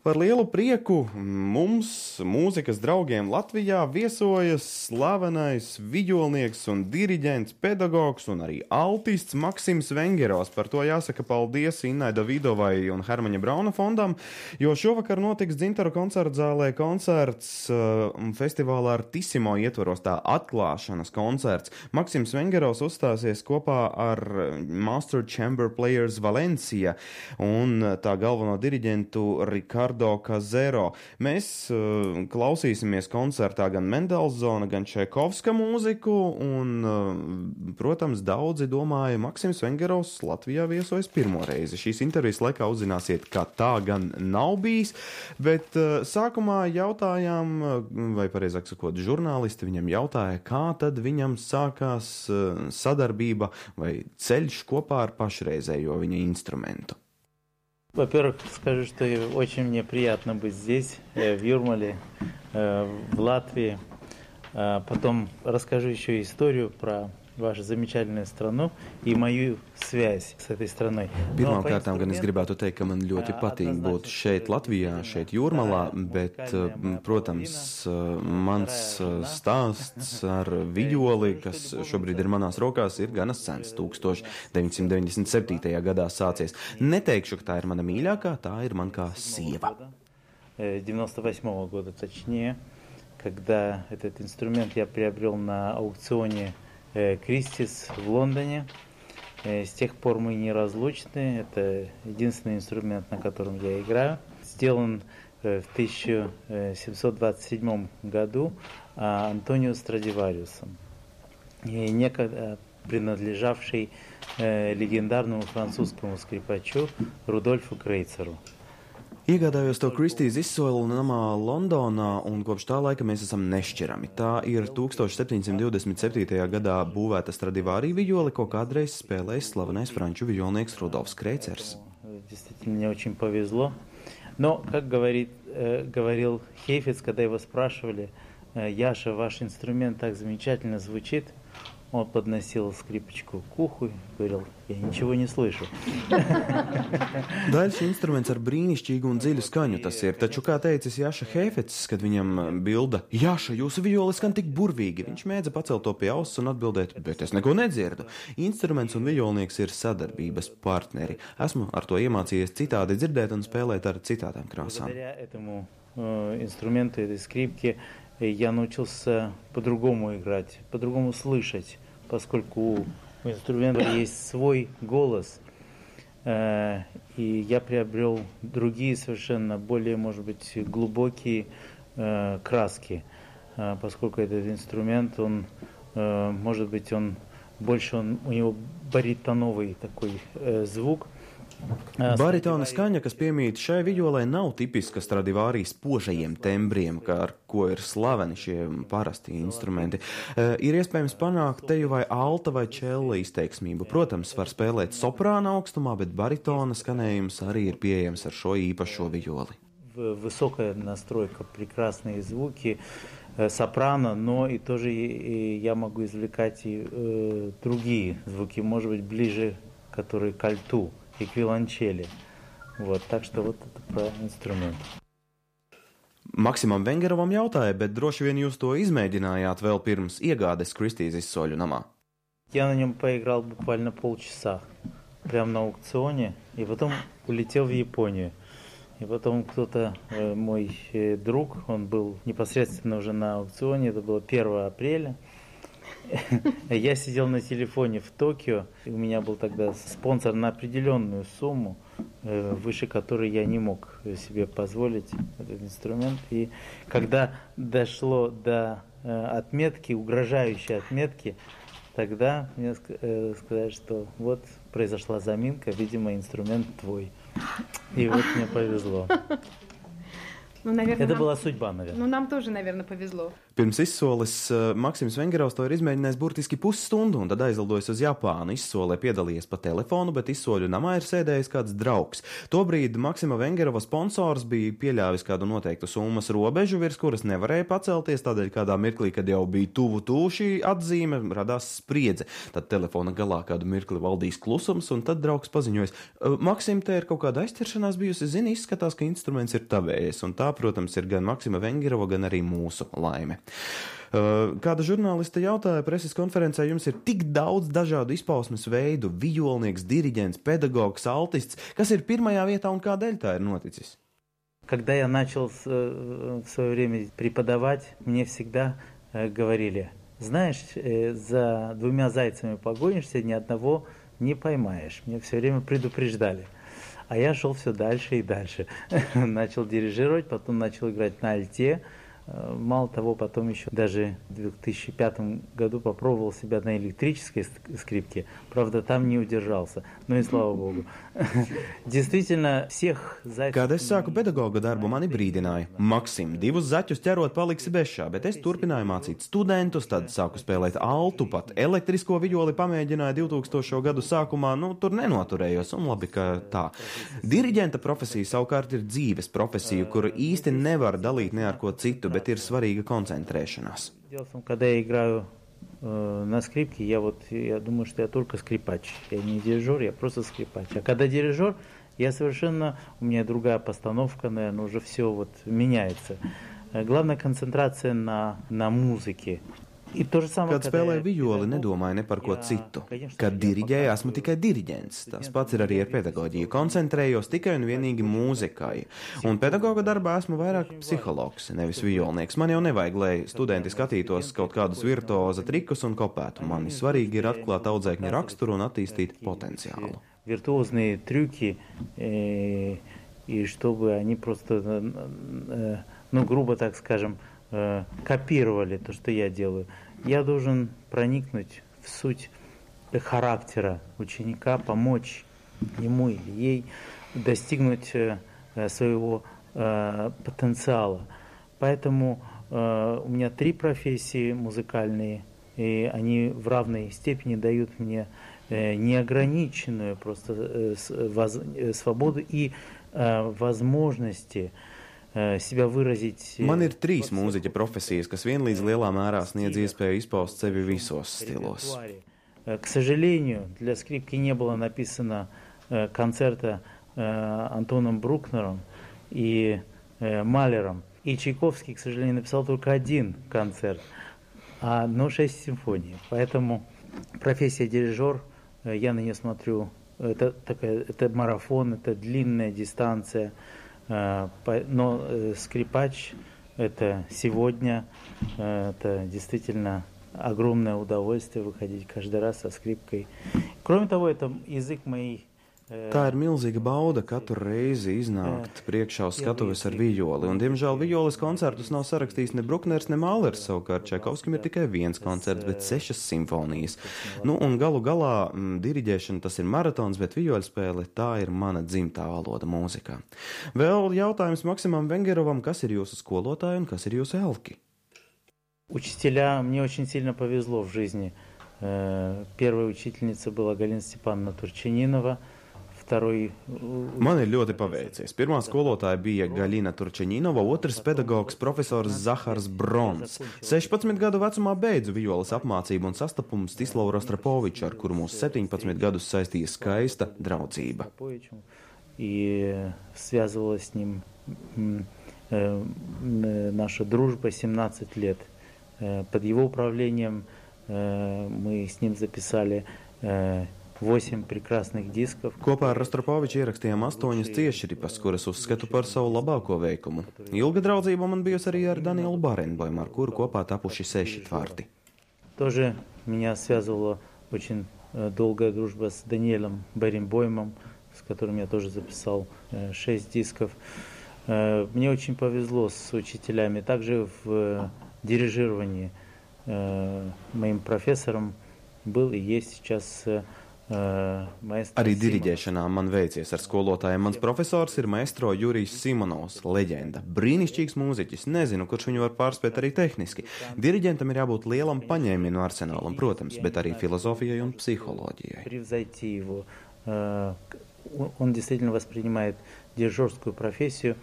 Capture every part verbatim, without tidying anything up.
Par lielu prieku mums, mūzikas draugiem Latvijā, viesojas slavenais viļņnieks un diriģents, pedagogs un arī altists Maksims Vengerovs. Par to jāsaka paldies Innai Davidovai un Hermaņa Brauna fondam, jo šovakar notiks Dzintaru koncertzālē koncerts uh, festivālā Artissimo ietvaros, tā atklāšanas koncerts. Maksims Vengerovs uzstāsies kopā ar Master Chamber Players Valencia un tā galveno diriģentu Ricardo Kazero. Mēs uh, klausīsimies koncertā gan Mendelsona, gan Čaikovska mūziku, un, uh, protams, daudzi domāja, Maksims Vengerovs Latvijā viesojas pirmo reizi. Šīs intervijas laikā uzzināsiet, ka tā gan nav bijis, bet uh, sākumā jautājām, vai pareizāk sakot, žurnālisti viņam jautāja, kā tad viņam sākās uh, sadarbība vai ceļš kopā ar pašreizējo viņa instrumentu. Во-первых, скажу, что очень мне приятно быть здесь, в Юрмале, в Латвии. Потом расскажу еще историю про вашu замечательную страну и мою связь с этой страной. Pirmkārt, gan es gribētu teikt, ka man ļoti patīk būt šeit Latvijā, šeit Jūrmalā, bet, protams, mans stāsts ar viļoli, kas šobrīd ir manās rokās, ir gana sens, tūkstoš deviņsimt deviņdesmit septītajā gadā sācies. Neteikšu, ka tā ir mana mīļākā, tā ir man kā sieva. девяносто восьмого года, точнее, когда этот инструмент я приобрел на аукционе Кристис в Лондоне. С тех пор мы неразлучны. Это единственный инструмент, на котором я играю. Сделан в тысяча семьсот двадцать седьмом году Антонио Страдивариусом, некогда принадлежавший легендарному французскому скрипачу Рудольфу Крейцеру. Iegādājos to Kristīs izsolu namā Londonā, un kopš tā laika mēs esam nešķirami. Tā ir tūkstoš septiņsimt divdesmit septītajā gadā būvēta Stradivāri viļole, ko kādreiz spēlējis slavenais franču viļolnieks Rudolfs Kreicers. Действительно, мне очень повезло. Но, как говорит, э, говорил Хейфец, когда его спрашивали, Яша, ваш инструмент так замечательно звучит, он подносил скрипочку к уху и говорил, я ничего не слышу. Daļs instruments ar brīnišķīgu un dziļu skaņu tas ir, taču, kā teicis Jaša Heifets, kad viņam bilda, Jaša, jūsu viļole skan tik burvīgi, viņš mēdza pacelt to pie auss un atbildēt, bet es neko nedzirdu. Instruments un viļolnieks ir sadarbības partneri. Esmu ar to iemācījies citādi dzirdēt un spēlēt ar citādām krāsām. Благодаря этому э, инструменту, этой скрипке, я научился по-другому играть, по-другому слышать, поскольку у инструмента есть свой голос, э, и я приобрел другие совершенно более, может быть, глубокие э, краски, э, поскольку этот инструмент, он, э, может быть, он больше, он, у него баритоновый такой э, звук. Baritona skaņa, kas piemīt šai viļolei, nav tipiska Stradivāri spožajiem tembriem, kā ar ko ir slaveni šie parasti instrumenti. E, ir iespējams panākt teju vai alta vai čella izteiksmību. Protams, var spēlēt soprāna augstumā, bet baritona skanējums arī ir pieejams ar šo īpašo viļoli. Высокая настройка, прекрасные звуки, сопрано, но и тоже и я могу извлекать и э, другие звуки, может быть, ближе, которые к альту и к виолончели. Вот, так что вот это про инструмент. Maksimam Vengerovam jautāja, bet droši vien jūs to izmēģinājāt vēl pirms iegādes Kristīs izsoļu namā. Я на нем поиграл буквально полчаса, прямо на аукционе, и потом улетел в Японию. И потом кто-то, э, мой э, друг, он был непосредственно уже на аукционе, это было первого апреля. Я сидел на телефоне в Токио, и у меня был тогда спонсор на определенную сумму, э, выше которой я не мог себе позволить этот инструмент. И когда дошло до э, отметки, угрожающей отметки, тогда мне э, сказали, что вот произошла заминка, видимо, инструмент твой. И вот мне повезло. Ну, наверное, Это нам... была судьба, наверное. Ну, нам тоже, наверное, повезло. Pirms izsoles Maksims Vengerovs to ir izmēģinājis burtiski pusstundu, un tad aizlidojis uz Japānu. Izsolē piedalījies pa telefonu, bet izsoļu namā ir sēdējis kāds draugs. Tobrīd Maksima Vengerova sponsors bija pieļāvis kādu noteiktu summas robežu, virs kuras nevarēja pacelties, tādēļ kādā mirklī, kad jau bija tuvu tuvu šī atzīme, radās spriedze. Tad telefona galā kādu mirkli valdīs klusums, un tad draugs paziņojas: Maksim, te ir kaut kāda aizķeršanās bijusi, zini, izskatās, ka instruments ir tavējies, un tā, protams, ir gan Maksima Vengerova, gan arī mūsu laime. Kāda žurnālista jautāja preses konferencē, jums ir tik daudz dažādu izpausmes veidu, vijolnieks, diriģents, pedagogs, altists, kas ir pirmajā vietā un kādēļ tā ir noticis? Когда я начал в свое время преподавать, мне всегда говорили: знаешь, за двумя зайцами погонишься, ни одного не поймаешь. Мне все время предупреждали. А я шел все дальше и дальше. Начал дирижировать, потом начал играть на альте. Мало того, потом еще даже в две тысячи пятом году попробовал себя на электрической скрипке. Правда, там не удержался. Ну и слава Богу. Действительно, всех зайцев... Kad es sāku pedagoga darbu, mani brīdināja: Maksim, divus zaķus ķerot paliksi bešā, bet es turpināju mācīt studentus, tad sāku spēlēt altu, pat elektrisko vijoli pamēģināju divtūkstošo gadu sākumā, nu, tur nenoturējos, un labi, ka tā. Diriģenta profesija savukārt ir dzīves profesija, kuru īsti nevar dalīt ne ar ko citu, bet ir svarīga koncentrēšanās. Когда я играю э, на скрипке, я вот я думаю, что я только скрипач. Я не дирижер, я просто скрипач. А когда дирижер, я совершенно, у меня другая постановка, наверное, уже все вот меняется. Главная концентрация на, на музыке. Kad spēlēju vijoli, nedomāju ne par ko citu. Kad diriģēju, esmu tikai diriģents. Tas pats ir arī ar pedagoģiju. Koncentrējos tikai un vienīgi mūzikai. Un pedagoga darbā esmu vairāk psihologs, nevis vijolnieks. Man jau nevajag, lai studenti skatītos kaut kādus virtuoza trikus un kopētu. Man svarīgi ir atklāt audzēkņa raksturu un attīstīt potenciālu. Виртуозные трюки, э, и чтобы они просто, э, ну, грубо так скажем, копировали то, что я делаю. Я должен проникнуть в суть характера ученика, помочь ему или ей достигнуть своего потенциала. Поэтому у меня три профессии музыкальные, и они в равной степени дают мне неограниченную просто свободу и возможности себя выразить. Man ir trīs mūziķa profesijas, kas vienlīdz lielā mērā sniedz iespēju izpaust sevi visos stilos. К сожалению, для скрипки не было написано концерта Антоном Брукнером и Малером. И Чайковский, к сожалению, написал только один концерт, но шесть симфоний. Поэтому профессия дирижер, я на нее смотрю, это, такая, это марафон, это длинная дистанция. Но скрипач – это сегодня, это действительно огромное удовольствие выходить каждый раз со скрипкой. Кроме того, это язык моей. Tā ir milzīga bauda katru reizi iznākt priekšā uz skatuves ar vijoli, un, diemžēl, vijoles koncertus nav sarakstījis ne Brukners, ne Mālers, savukārt Čaikovskim ir tikai viens koncerts, bet sešas simfonijas. Nu, un galu galā m, diriģēšana tas ir maratons, bet vijoļspēle tā ir mana dzimtā valoda mūzikā. Vēl jautājums Maksimam Vengerovam, kas ir jūsu skolotāji un kas ir jūsu elki? Учителя, мне очень сильно повезло в жизни. Первая учительница была Галина Степановна Турчининова. Man ir ļoti paveicies. Pirmā skolotāja bija Galina Turčeņinova, otrs pedagogs profesors Zahars Brons. sešpadsmit gadu vecumā beidzu vijoles apmācību un sastapumu Stislavu Rostropoviču, ar kuru mūs septiņpadsmit gadus saistīja skaista draudzība. И связывалась с ним наша дружба семнадцать лет. Под его управлением мы с ним записали восемь прекрасных дисков. Kopā ar Rostropoviču ierakstījām astoņas ciešripas, kuras uzskatu par savu labāko veikumu. Ilga draudzība man bijusi arī ar Danielu Barenboimu, ar kuru kopā tapuši seši tvarti. Тоже меня связывала очень долгая дружба с Даниэлем Баренбоймом, с которым я тоже записал шесть дисков. Мне очень повезло с учителями. Также в дирижировании моим профессором был и есть сейчас Arī diriģēšanā man veicies ar skolotājiem. Mans profesors ir maestro Jurijs Simonovs, leģenda. Brīnišķīgs mūziķis. Nezinu, kurš viņu var pārspēt arī tehniski. Diriģentam ir jābūt lielam paņēmienu arsenālam, protams, bet arī filozofijai un psiholoģijai. Он действительно воспринимает дирижерскую профессию.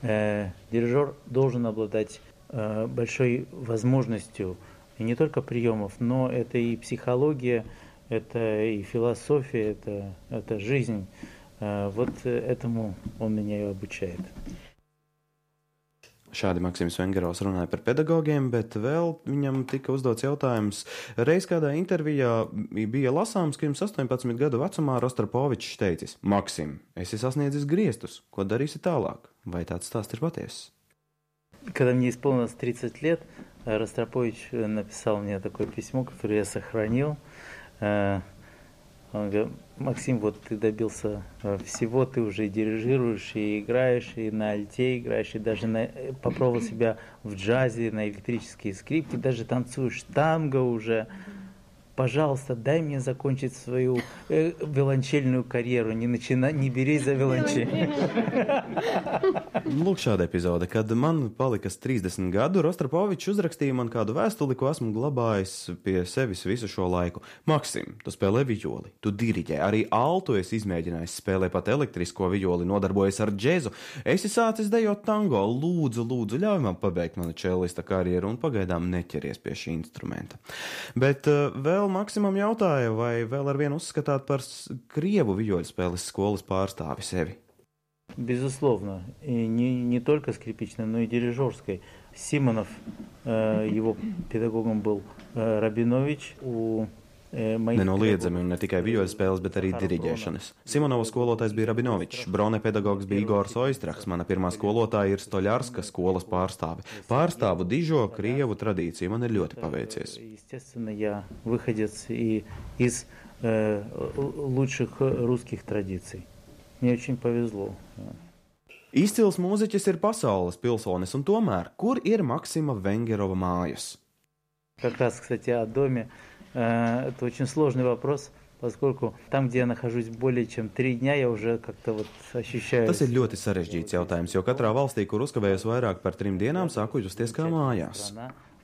Дирижер должен обладать большой возможностью и не только приемов, но это и психология, это и философия, это, это жизнь. Вот этому он меня и обучает. Šādi Maksims Vengerovs runāja par pedagogiem, bet vēl viņam tika uzdots jautājums. Reiz kādā intervijā bija lasāms, ka jums astoņpadsmit gadu vecumā Rostropovičs teicis: Maksim, esi sasniedzis griestus, ko darīsi tālāk? Vai tāds stāsts ir patiesas? Когда мне исполнилось тридцать лет, Ростропович написал мне такое письмо, которое я сохранил. Он говорит: Максим, вот ты добился всего, ты уже и дирижируешь, и играешь, и на альте играешь, и даже на, попробовал себя в джазе, на электрические скрипки, даже танцуешь танго уже. Пожалуйста, дай мне закончить свою э, violončeļную karjeru, не, начина... не берись за violončeļu. Lūk, šāda epizode, kad man palikas trīsdesmit gadu, Rostropovičs uzrakstīja man kādu vēstuli, ko esmu glabājis pie sevis visu šo laiku. Maksim, tu spēlē violi, tu diriģē, arī altu esi izmēģinājis, spēlē pat elektrisko violi, nodarbojies ar džezu. Esi sācis dejot tango, lūdzu, lūdzu, ļauj man pabeigt manu čellista karjeru un pagaidām neķeries pie šī instrumenta. Bet uh, vēl Maksimam jautāja, vai vēl ar vienu uzskatāt par Krievu vijoļspēles skolas pārstāvi sevi? Безусловно. И не, не только скрипичной, но и дирижерской. Симонов, э, его педагогом был э, Рабинович. У э, Nenoliedzami un ne tikai vijoļspēles, bet arī diriģēšanas. Simonova skolotājs bija Rabinovičs, Brone pedagogs bija Igors Oistrachs, mana pirmā skolotāja ir Stoļarska skolas pārstāve. Pārstāvu dižo Krievu tradīciju, man ir ļoti paveicies. Естественно, я выходец и из э, лучших русских традиций. Мне очень повезло. Izcils mūziķis ir pasaules pilsonis, un tomēr, kur ir Maksima Vengerova mājas? Как раз, кстати, о доме. Это очень сложный вопрос, поскольку там, где я нахожусь более чем три дня, я уже как-то вот ощущаю... Tas ir ļoti sarežģīts jautājums, jo katrā valstī, kur uzkavējos vairāk par trim dienām, sāku justies kā mājās.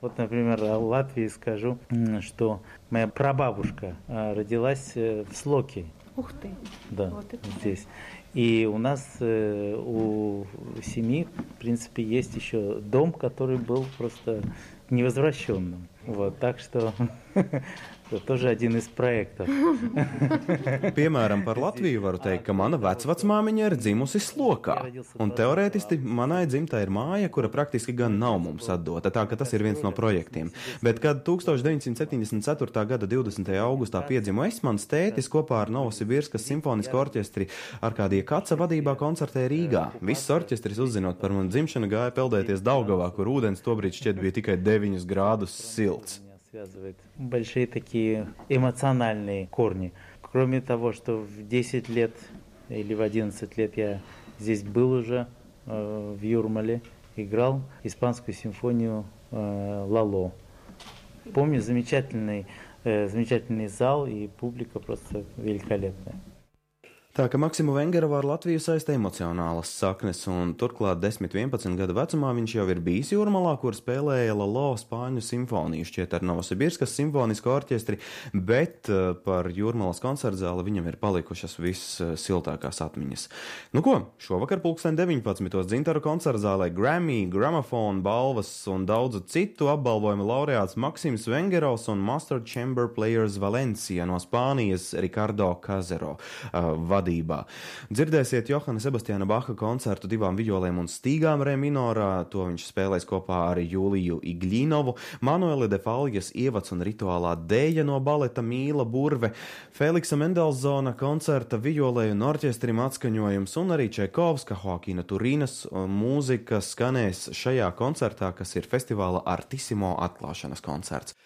Вот, например, в Латвии скажу, что моя прабабушка родилась в Слоке. Ух ты! Да, вот здесь. И у нас, у семьи, в принципе, есть еще дом, который был просто невозвращенным. Вот, так что это тоже один из проектов. Piemēram, par Latviju varu teikt, ka mana vecvecmāmiņa ir dzimusi Slokā. Un teorētiski manai dzimtai ir māja, kura praktiski gan nav mums atdota, tā ka tas ir viens no projektiem. Bet, kad tūkstoš deviņsimt septiņdesmit ceturtā gada divdesmitajā augustā piedzimu es, mans tētis kopā ar Novosibirskas simfonisko orķestri Arkādija Kaca vadībā koncertē Rīgā. Viss orķestris, uzzinot par manu dzimšanu, gāja peldēties Daugavā, kur ūdens tobrīd šķiet bija tikai deviņus grādus silts. Связывает большие такие эмоциональные корни. Кроме того, что в десять лет или в одиннадцать лет я здесь был уже, э, в Юрмале, играл испанскую симфонию э, «Лало». Помню замечательный, э, замечательный зал и публика просто великолепная. Tā ka Maksimu Vengerovu ar Latviju saista emocionālas saknes, un turklāt desmit vienpadsmit gadu vecumā viņš jau ir bijis Jūrmalā, kur spēlēja Lalo spāņu simfoniju šķiet ar Novosibirskas simfonisko orķestri, bet par Jūrmalas koncertzāli viņam ir palikušas vissiltākās atmiņas. Nu ko, šovakar pulksten deviņpadsmitos Dzintaru koncertzālē Grammy, Gramophone balvas un daudzu citu apbalvojumu laureāts Maksims Vengerovs un Master Chamber Players Valencia no Spānijas Ricardo Cazero uh, vadībā. Dzirdēsiet Johana Sebastiana Baha koncertu divām violēm un stīgām re minorā, to viņš spēlēs kopā ar Juliju Iglinovu, Manueli de Faljas ievads un rituālā dēja no baleta Mīla Burve, Feliksa Mendelsona koncerta violēju un orķestrim atskaņojums un arī Čaikovska, Joakina Turīnas mūzika skanēs šajā koncertā, kas ir festivāla Artissimo atklāšanas koncerts.